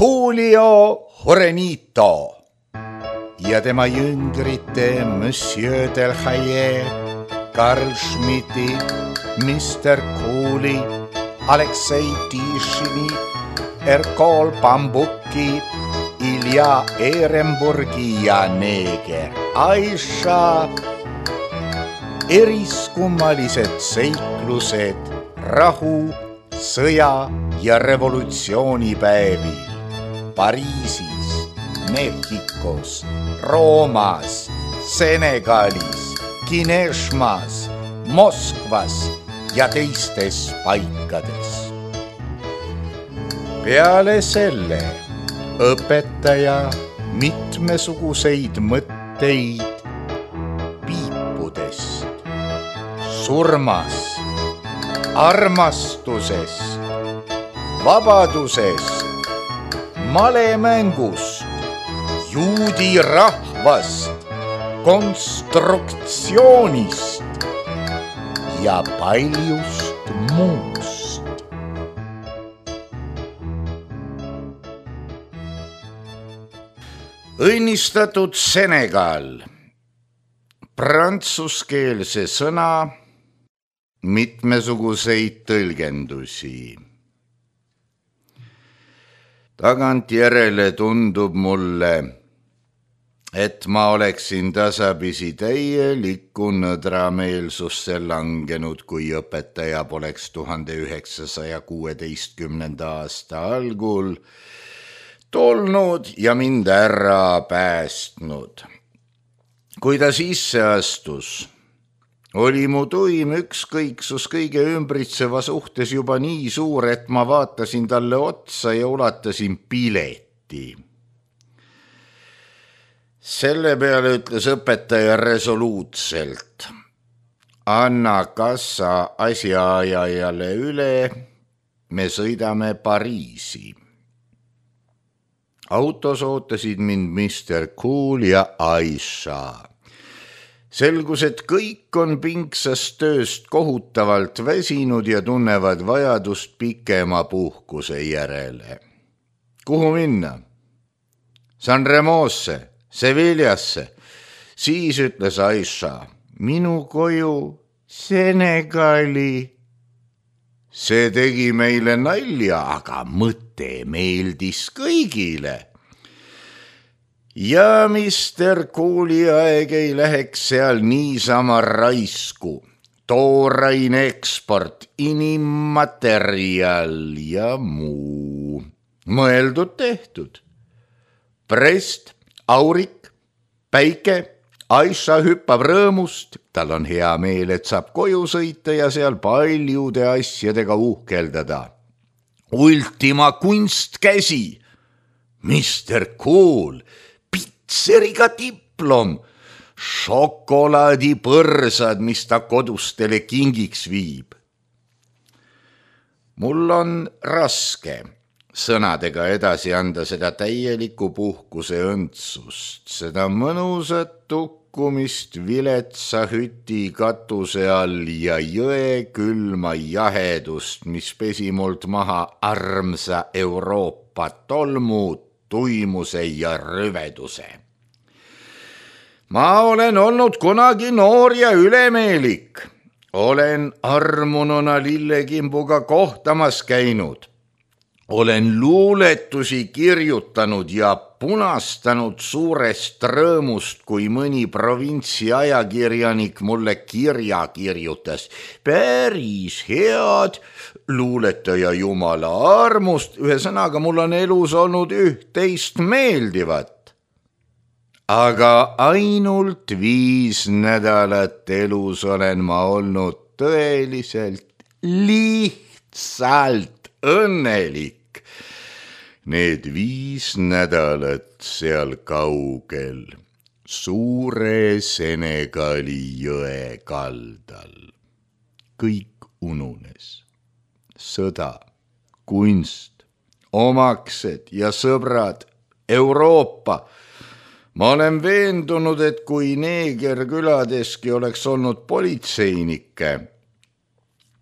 Julio Jorenito ja tema jüngrite Monsieur Delhaye, Karl Schmidti, Mr. Cooli, Aleksei Tišini, Erkol Bambuki, Ilja Ehrenburgi ja neeger Aisha. Eriskummalised seiklused rahu, sõja ja revolutsioonipäevil Pariisis, Mehhikos, Roomas, Senegalis, Kineshmas, Moskvas ja teistes paikades. Peale selle õpetaja mitmesuguseid mõtteid piipudest, surmast, armastusest, vabadusest, malemängust, juudi rahvast, konstruktsioonist ja paljust muust. Õnnistatud Senegal, prantsuskeelse sõna, mitmesuguseid tõlgendusi. Tagantjärele tundub mulle, et ma oleksin tasapisi täielikku nõdrameelsusse langenud, kui õpetaja poleks 1916. aasta algul tulnud ja mind ära päästnud. Kui ta sisse astus, oli mu tuim ükskõiksus kõige ümbritseva suhtes juba nii suur, et ma vaatasin talle otsa ja ulatasin pileti. Selle peale ütles õpetaja resoluutselt: anna kassa asjaajajale üle, me sõidame Pariisi. Autos ootasid mind Mr. Cool ja Aisha. Selgus, et kõik on pingsast tööst kohutavalt väsinud ja tunnevad vajadust pikema puhkuse järele. Kuhu minna? San Remosse, Sevillasse. Siis ütles Aisha: minu koju Senegali. See tegi meile nalja, aga mõte meeldis kõigile. Ja Mr. Cooli aeg ei läheks seal niisama raisku. Tooraine eksport, inimmaterial ja muu. Mõeldud tehtud. Prest, aurik, päike, Aisha hüppab rõõmust, tal on hea meel, et saab koju sõita ja seal paljude asjadega uhkeldada. Ultima kunstkäsi, Mr. Cool, pitseriga diplom, šokolaadipõrsad, mis ta kodustele kingiks viib. Mul on raske sõnadega edasi anda seda täielikku puhkuse õndsust, seda mõnusat tukkumist viletsa hüti katuse all ja jõe külma jahedust, mis pesi mult maha armsa Euroopa tolmu, tuimuse ja rüveduse. Ma olen olnud kunagi noor ja ülemeelik. Olen armununa lillekimbuga kohtamas käinud. Olen luuletusi kirjutanud ja punastanud suurest rõõmust, kui mõni provintsi ajakirjanik mulle kirja kirjutas. Päris head, luuletaja jumala armust, ühesõnaga mul on elus olnud üht-teist meeldivat. Aga ainult 5 nädalat elus olen ma olnud tõeliselt, lihtsalt õnnelik. Need 5 nädalat seal kaugel, suure Senegali jõe kaldal. Kõik ununes. Sõda, kunst, omaksed ja sõbrad, Euroopa. Ma olen veendunud, et kui neegerküladeski oleks olnud politseinikke,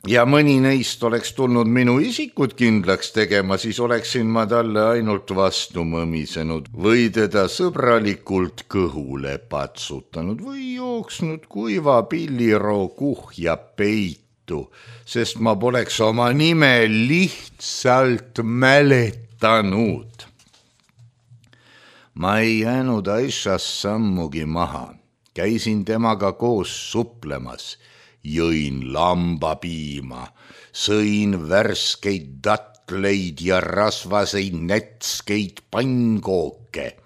ja mõni neist oleks tulnud minu isikut kindlaks tegema, siis oleksin ma talle ainult vastu mõmisenud või teda sõbralikult kõhule patsutanud või jooksnud kuiva pilliroo kuhja peitu, sest ma poleks oma nime lihtsalt mäletanud. Ma ei jäänud Aishast sammugi maha, käisin temaga koos suplemas, jõin lambapiima, sõin värskeid datleid ja rasvaseid nätskeid pannkooke.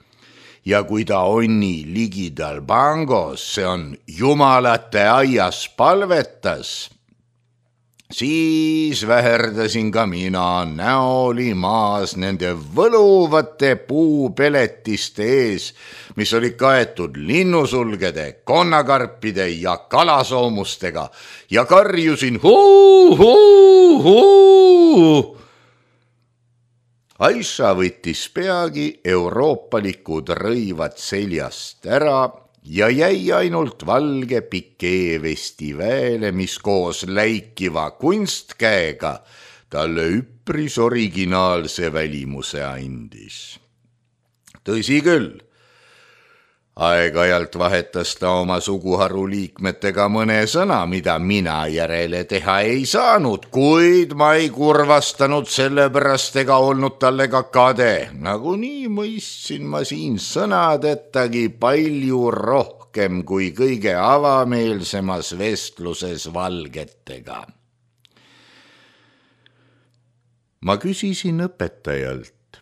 Ja kui ta onni ligidal Bangos, see on jumalate aias, palvetas, siis väherdasin ka mina, näoli maas nende võluvate puupeletiste ees, mis oli kaetud linnusulgede, konnakarpide ja kalasoomustega ja karjusin huu. Aisha võttis peagi euroopalikud rõivad seljast ära ja jäi ainult valge pikeevesti väele, mis koos läikiva kunstkäega talle üpris originaalse välimuse andis. Tõsi küll, aeg-ajalt vahetas ta oma suguharu liikmetega mõne sõna, mida mina järele teha ei saanud, kuid ma ei kurvastanud sellepärast ega olnud talle ka kade. Nagunii mõistsin ma siin sõnadettagi palju rohkem kui kõige avameelsemas vestluses valgetega. Ma küsisin õpetajalt,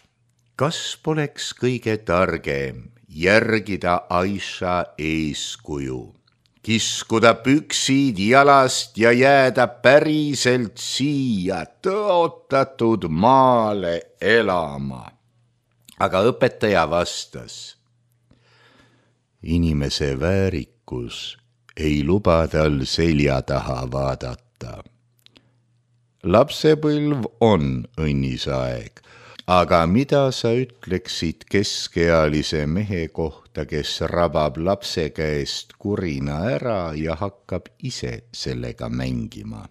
kas poleks kõige targem järgida Aisha eeskuju, kiskuda püksid jalast ja jääda päriselt siia tõotatud maale elama. Aga õpetaja vastas, inimese väärikus ei luba tal selja taha vaadata. Lapsepõlv on õnnisaeg, aga mida sa ütleksid keskealise mehe kohta, kes rabab lapse käest kurina ära ja hakkab ise sellega mängima?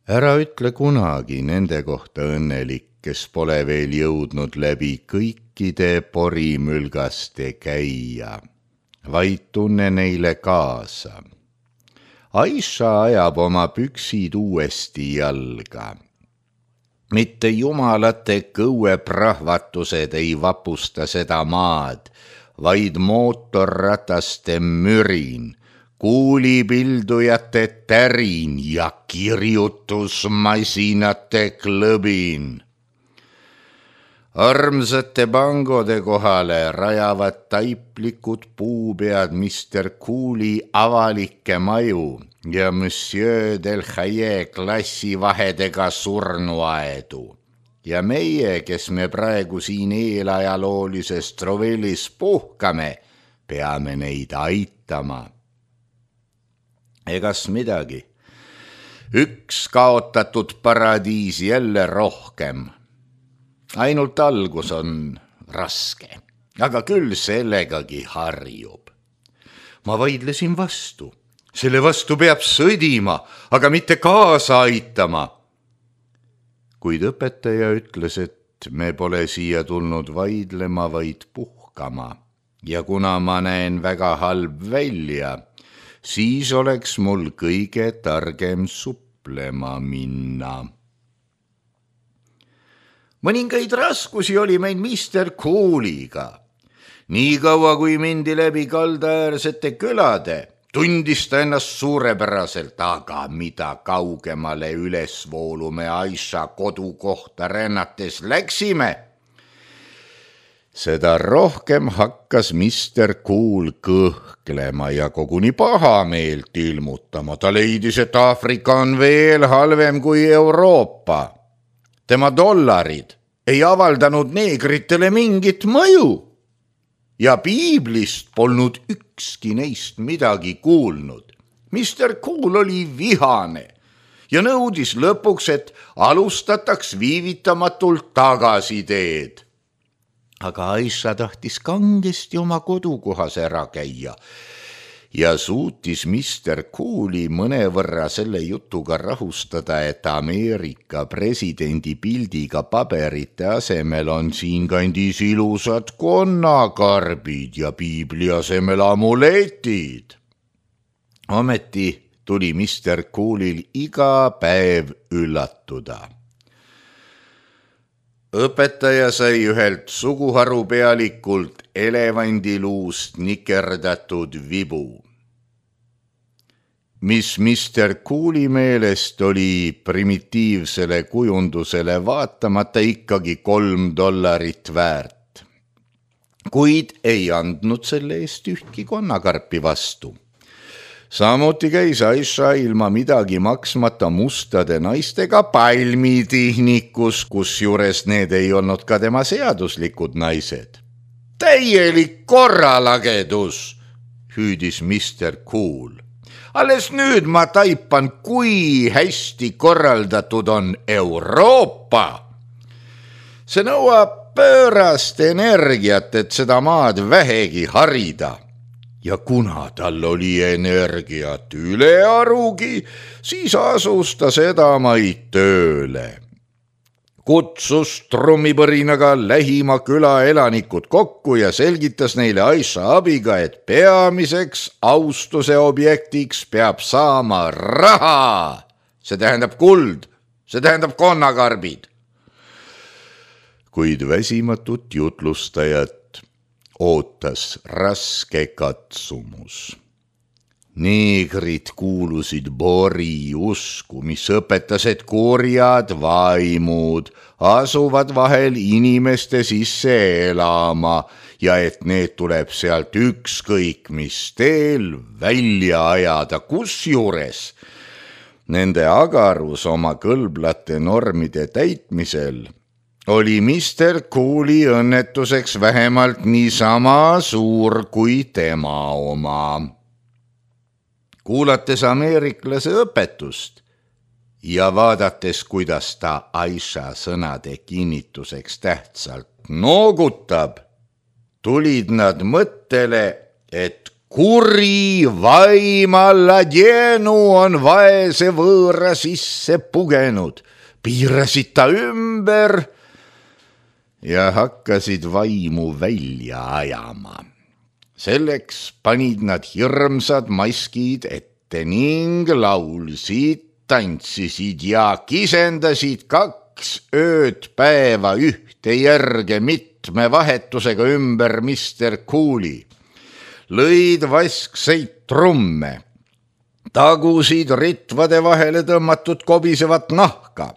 Ära ütle kunagi nende kohta õnnelik, kes pole veel jõudnud läbi kõikide porimülgaste käia, vaid tunne neile kaasa. Aisha ajab oma püksid uuesti jalga. Mitte jumalate kõueprahvatused ei vapusta seda maad, vaid mootorrataste mürin, kuulipildujate tärin ja kirjutusmasinate klõbin. Armsate Bangode kohale rajavad taiplikud puupead Mr. Cooli avalikke maju ja Monsieur Del Haye klassivahedega surnuaedu. Ja meie, kes me praegu siin eelajaloolises Trovellis puhkame, peame neid aitama. Egas midagi. Üks kaotatud paradiis jälle rohkem. Ainult algus on raske, aga küll sellegagi harjub. Ma vaidlesin vastu. Selle vastu peab sõdima, aga mitte kaasa aitama. Kuid õpetaja ütles, et me pole siia tulnud vaidlema, vaid puhkama. Ja kuna ma näen väga halb välja, siis oleks mul kõige targem suplema minna. Mõningaid raskusi oli meil Mr. Cooliga. Nii kaua, kui mindi läbi kaldaäärsete külade, tundis ta ennast suurepäraselt, aga mida kaugemale ülesvoolu me Aisha kodukohta rännates läksime, seda rohkem hakkas Mr. Cool kõhklema ja koguni pahameelt ilmutama. Ta leidis, et Aafrika on veel halvem kui Euroopa. Tema dollarid ei avaldanud neegritele mingit mõju ja piiblist polnud ükski neist midagi kuulnud. Mr. Cool oli vihane ja nõudis lõpuks, et alustataks viivitamatult tagasiteed. Aga Aisha tahtis kangesti oma kodukohas ära käia ja suutis Mr. Cooli mõnevõrra selle jutuga rahustada, et Ameerika presidendi pildiga paberite asemel on siinkandis ilusad konnakarbid ja piibli asemel amuletid. Ometi tuli Mr. Coolil iga päev üllatuda. Õpetaja sai ühelt suguharu pealikult elevandiluust nikerdatud vibu, mis Mr. Cooli meelest oli primitiivsele kujundusele vaatamata ikkagi $3 väärt, kuid ei andnud selle eest ühtki konnakarpi vastu. Samuti käis Aisha ilma midagi maksmata mustade naistega palmitihnikus, kusjuures need ei olnud ka tema seaduslikud naised. Täielik korralagedus, hüüdis Mr. Cool. Alles nüüd ma taipan, kui hästi korraldatud on Euroopa. See nõuab pöörast energiat, et seda maad vähegi harida. Ja kuna tal oli energiat ülearugi, siis asus ta sedamaid tööle. Kutsus trummipõrinaga lähima küla elanikud kokku ja selgitas neile Aisha abiga, et peamiseks austuse objektiks peab saama raha. See tähendab kuld, see tähendab konnakarbid. Kuid väsimatut jutlustajat ootas raske katsumus. Neegrid kuulusid Bori usku, mis õpetas, et kurjad vaimud asuvad vahel inimeste sisse elama ja et need tuleb sealt ükskõik mis teel välja ajada, kusjuures nende agarus oma kõlblate normide täitmisel oli Mr. Cooli õnnetuseks vähemalt niisama suur kui tema oma. Kuulates ameeriklase õpetust ja vaadates, kuidas ta Aisha sõnade kinnituseks tähtsalt noogutab, tulid nad mõttele, et kuri vaim Alladjenu on vaese võõra sisse pugenud, piirasid ta ümber ja hakkasid vaimu välja ajama. Selleks panid nad hirmsad maskid ette ning laulsid, tantsisid ja kisendasid 2 ööd päeva ühte järge mitme vahetusega ümber Mr. Cooli. Lõid vaskseid trumme, tagusid ritvade vahele tõmmatud kobisevat nahka,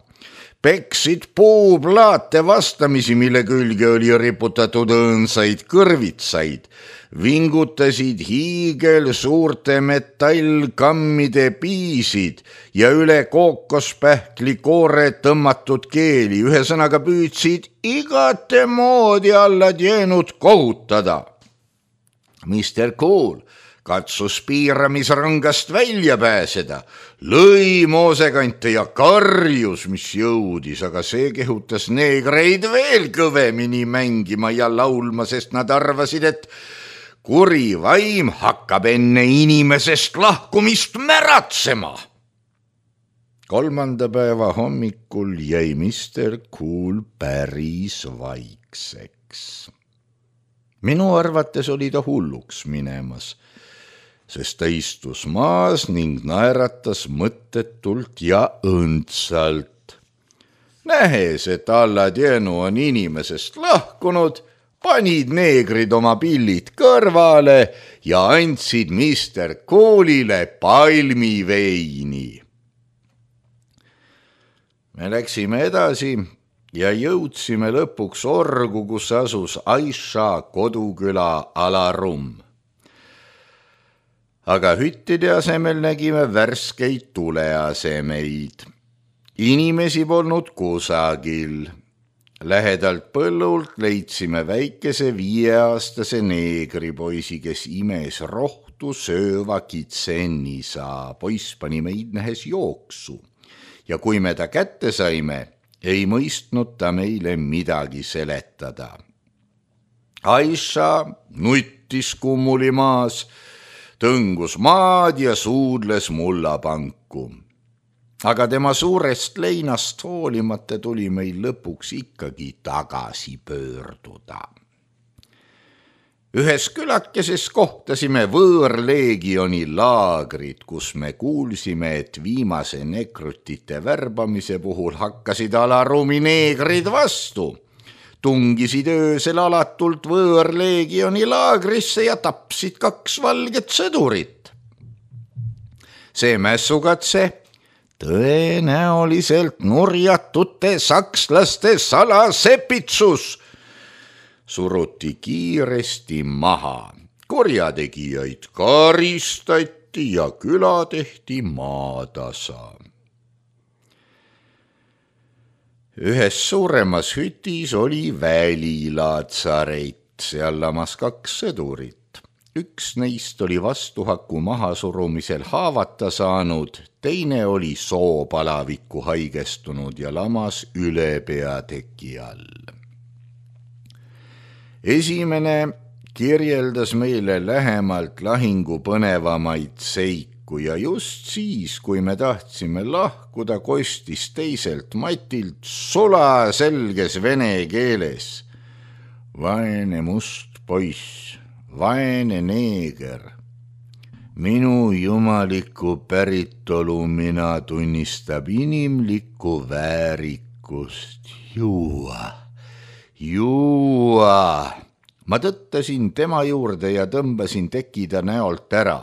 peksid puuplaate vastamisi, mille külge oli riputatud õõnsaid kõrvitsaid, vingutasid hiigel suurte metallkammide piisid ja üle kookospähkli koore tõmmatud keeli, ühesõnaga püüdsid igate moodi Alladjenut kohutada. Mr. Cool katsus piiramisrõngast välja pääseda, lõi moosekante ja karjus, mis jõudis, aga see kehutas neegreid veel kõvemini mängima ja laulma, sest nad arvasid, et kuri vaim hakkab enne inimesest lahkumist märatsema. 3. päeva hommikul jäi Mr. Cool päris vaikseks. Minu arvates oli ta hulluks minemas, sest ta istus maas ning naeratas mõttetult ja õndsalt. Nähes, et Alladjenu on inimesest lahkunud, panid neegrid oma pillid kõrvale ja andsid Mr. Coolile palmiveini. Me läksime edasi ja jõudsime lõpuks orgu, kus asus Aisha koduküla Alarum. Aga hüttide asemel nägime värskeid tuleasemeid. Inimesi polnud kusagil. Lähedalt põllult leidsime väikese 5-aastase neegripoisi, kes imes rohtu sööva kitsennisa. Poiss pani meid nähes jooksu ja kui me ta kätte saime, ei mõistnud ta meile midagi seletada. Aisha nuttis kummuli maas, tõngus maad ja suudles mullapanku. Aga tema suurest leinast hoolimata tuli meil lõpuks ikkagi tagasi pöörduda. Ühes külakeses kohtasime võõrleegioni laagrid, kus me kuulsime, et viimase nekrutite värbamise puhul hakkasid alarumi neegrid vastu. Tungisid öösel alatult võõrleegioni laagrisse ja tapsid 2 valget sõdurit. See mässukatse tõenäoliselt nurjatute sakslaste salasepitsus suruti kiiresti maha. Kurjategijaid karistati ja küla tehti maatasa. Ühes suuremas hütis oli välilaatsaret, seal lamas 2 sõdurit. Üks neist oli vastuhaku mahasurumisel haavata saanud, teine oli soopalavikku haigestunud ja lamas üle peateki all. Esimene kirjeldas meile lähemalt lahingu põnevamaid seiku ja just siis, kui me tahtsime lahkuda, kostis teiselt matilt sulaselges vene keeles: vaene must poiss, vaene neeger, minu jumalikku päritolu mina tunnistab inimlikku väärikust juua. Ma tõttasin tema juurde ja tõmbasin tekida näolt ära.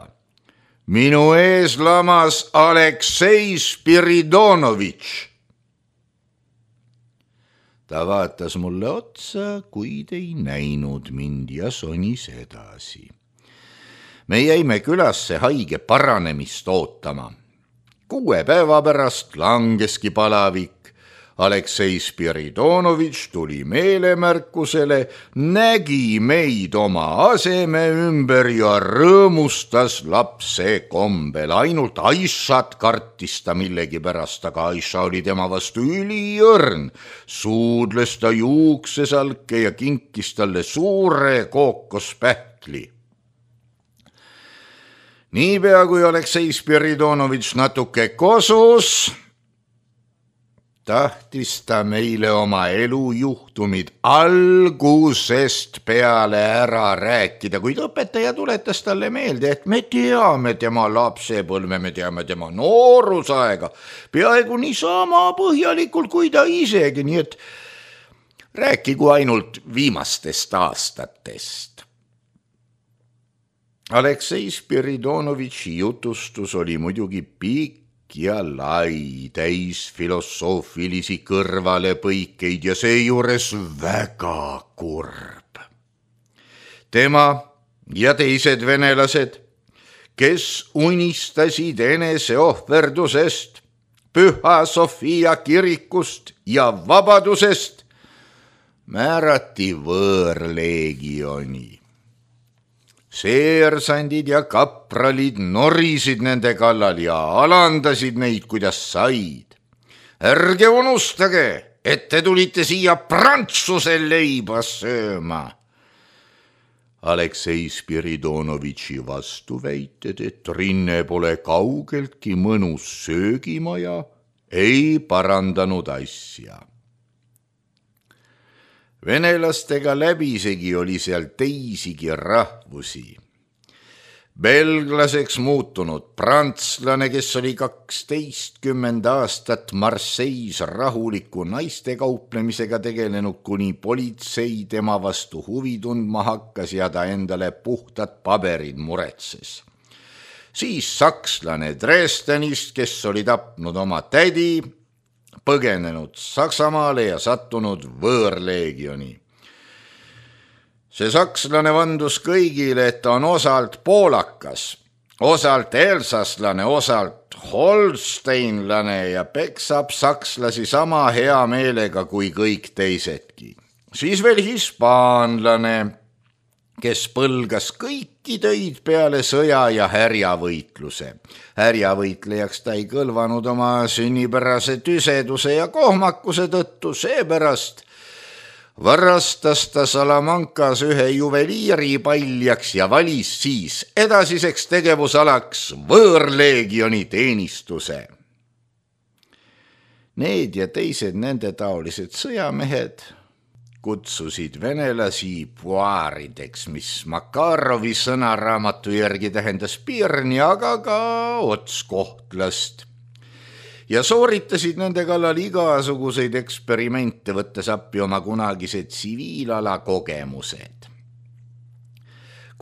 Minu ees lamas Aleksei Spiridonovitš. Ta vaatas mulle otsa, kuid ei näinud mind ja sonis edasi. Me jäime külasse haige paranemist ootama. 6 päeva pärast langeski palavik. Aleksei Spiridonovitš tuli meelemärkusele, nägi meid oma aseme ümber ja rõõmustas lapse kombel. Ainult Aissat kartis ta millegipärast, aga Aissa oli tema vastu üliõrn. Suudles ta juuksesalke ja kinkis talle suure kookospähkli. Niipea kui Aleksei Spiridonovitš natuke kosus, tahtis ta meile oma elujuhtumid algusest peale ära rääkida, kuid õpetaja tuletas talle meelde, et me teame tema lapsepõlve, me teame tema noorusaega peaaegu niisama põhjalikult kui ta isegi, nii et rääkigu ainult viimastest aastatest. Aleksei Spiridonovitši jutustus oli muidugi pikk ja lai, täis filosoofilisi kõrvalepõikeid ja seejuures väga kurb. Tema ja teised venelased, kes unistasid eneseohverdusest, Püha Sofia kirikust ja vabadusest, määrati võõrleegioni. Seersandid ja kapralid norisid nende kallal ja alandasid neid, kuidas said. Ärge unustage, et te tulite siia Prantsuse leiba sööma. Aleksei Spiridonovitši vastuväited, et Rinne pole kaugeltki mõnus söögimaja, ei parandanud asja. Venelastega läbisegi oli seal teisigi rahvusi. Belglaseks muutunud prantslane, kes oli 12 aastat Marseilles rahuliku naiste kauplemisega tegelenud, kuni politsei tema vastu huvi tundma hakkas ja ta endale puhtad paberid muretses. Siis sakslane Dresdenist, kes oli tapnud oma tädi, põgenenud Saksamaale ja sattunud võõrleegioni. See sakslane vandus kõigile, et ta on osalt poolakas, osalt elsaslane, osalt holsteinlane ja peksab sakslasi sama hea meelega kui kõik teisedki. Siis veel hispaanlane, kes põlgas kõiki töid peale sõja ja härjavõitluse. Härjavõitlejaks ta ei kõlvanud oma sünnipärase tüseduse ja kohmakuse tõttu, seepärast varastas ta Salamankas ühe juveliiri paljaks ja valis siis edasiseks tegevusalaks võõrleegioni teenistuse. Need ja teised nende taolised sõjamehed kutsusid venelasi puaarideks, mis Makarovi sõnaraamatu järgi tähendas pirni, aga ka otskohtlast. Ja sooritasid nende kallal igasuguseid eksperimente, võttes appi oma kunagised tsiviilala kogemused.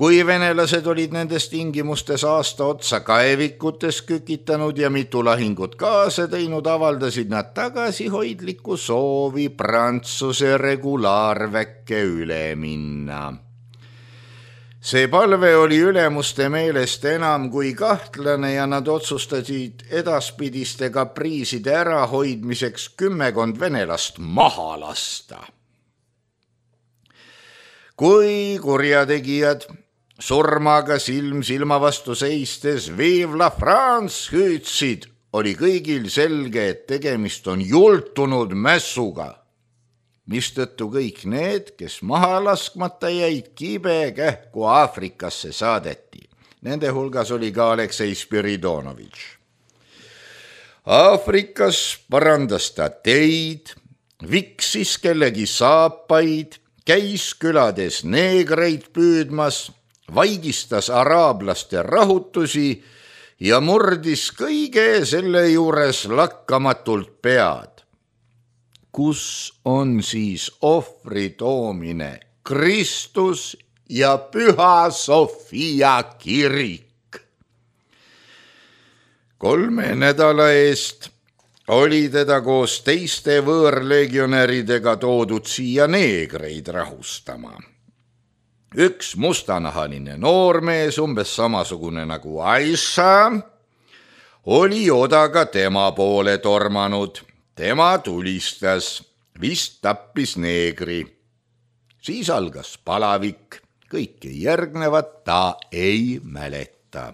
Kui venelased olid nendes tingimustes aasta otsa kaevikutes kükitanud ja mitu lahingut kaasa teinud, avaldasid nad tagasihoidlikku soovi Prantsuse regulaarväkke üle minna. See palve oli ülemuste meelest enam kui kahtlane ja nad otsustasid edaspidiste kapriiside ärahoidmiseks 10 venelast maha lasta. Kui kurjategijad surmaga silm silma vastu seistes Vive la France hüüdsid, oli kõigil selge, et tegemist on jultunud mässuga, mistõttu kõik need, kes maha laskmata jäid, kibe kähku Aafrikasse saadeti. Nende hulgas oli ka Aleksei Spiridonovitš. Aafrikas parandas ta teid, viksis kellegi saapaid, käis külades neegreid püüdmas, vaigistas araablaste rahutusi ja murdis kõige selle juures lakkamatult pead. Kus on siis ohvri toomine Kristus ja Püha Sofia kirik? 3 nädala eest oli teda koos teiste võõrlegionäridega toodud siia neegreid rahustama. Üks mustanahaline noormees, umbes samasugune nagu Aisha, oli odaga tema poole tormanud. Tema tulistas, vist tappis neegri. Siis algas palavik, kõike järgnevat ta ei mäleta.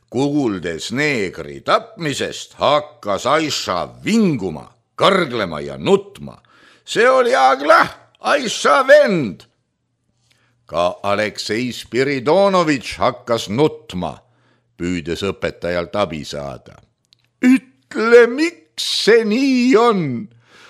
Kuuldes neegri tapmisest hakkas Aisha vinguma, karglema ja nutma. See oli Aglah, Aisha vend. Ka Aleksei Spiridonovitš hakkas nutma, püüdes õpetajalt abi saada. Ütle, miks see nii on?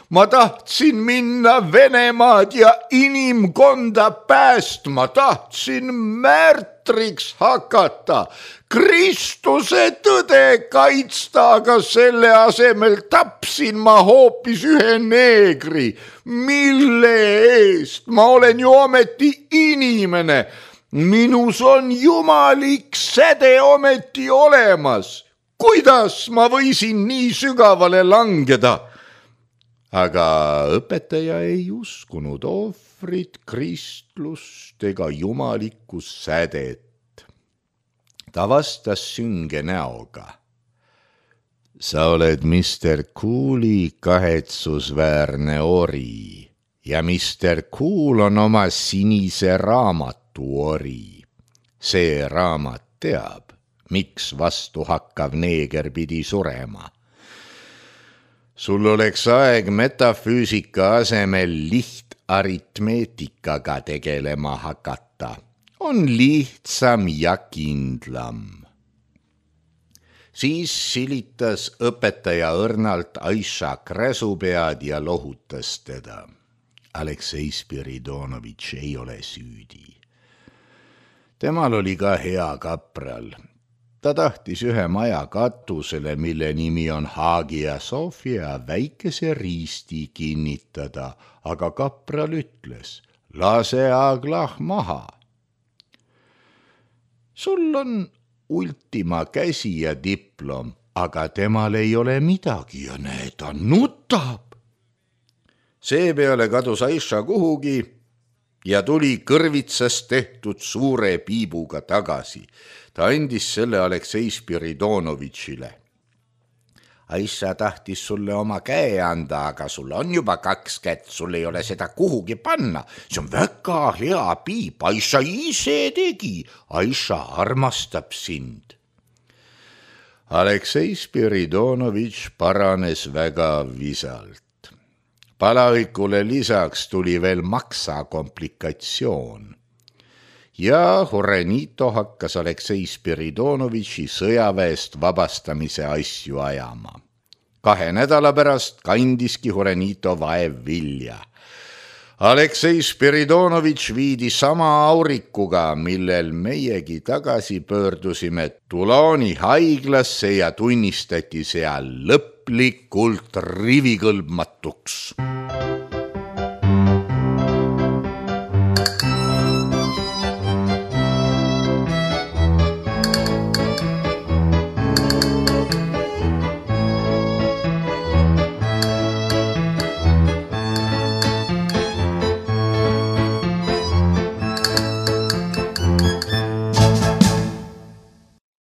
Ma tahtsin minna Venemaad ja inimkonda päästma, tahtsin märtriks hakata, Kristuse tõde kaitsta, aga selle asemel tapsin ma hoopis ühe neegri. Mille eest? Ma olen ju ometi inimene. Minus on jumalik säde ometi olemas. Kuidas ma võisin nii sügavale langeda? Aga õpetaja ei uskunud ohvrit, kristlust ega jumalikku sädet. Ta vastas sünge näoga. Sa oled Mr. Cooli kahetsusväärne ori ja Mr. Cool on oma sinise raamatu ori. See raamat teab, miks vastuhakkav neeger pidi surema. Sul oleks aeg metafüüsika asemel lihtaritmeetikaga tegelema hakata. On lihtsam ja kindlam. Siis silitas õpetaja õrnalt Aisha kräsupead ja lohutas teda. Aleksei Spiridonovitš ei ole süüdi. Temal oli ka hea kapral. Ta tahtis ühe maja katusele, mille nimi on Hagia Sophia, väikese riisti kinnitada, aga kapral ütles, lase Aglah maha. Sul on ultima käsi ja diplom, aga temal ei ole midagi ja näe, ta nutab. Seepeale kadus Aisha kuhugi ja tuli kõrvitsast tehtud suure piibuga tagasi. Ta andis selle Aleksei Spiridonovitšile. Aisha tahtis sulle oma käe anda, aga sul on juba 2 kätt, sul ei ole seda kuhugi panna. See on väga hea piip, Aisha ise tegi. Aisha armastab sind. Aleksei Spiridonovitš paranes väga visalt. Palavikule lisaks tuli veel maksa komplikatsioon. Ja Horenito hakkas Aleksei Spiridonovitši sõjaväest vabastamise asju ajama. 2 nädala pärast kandiski Horenito vaev vilja. Aleksei Spiridonovitš viidi sama aurikuga, millel meiegi tagasi pöördusime Tuloni haiglasse ja tunnistati seal lõplikult rivikõlbmatuks.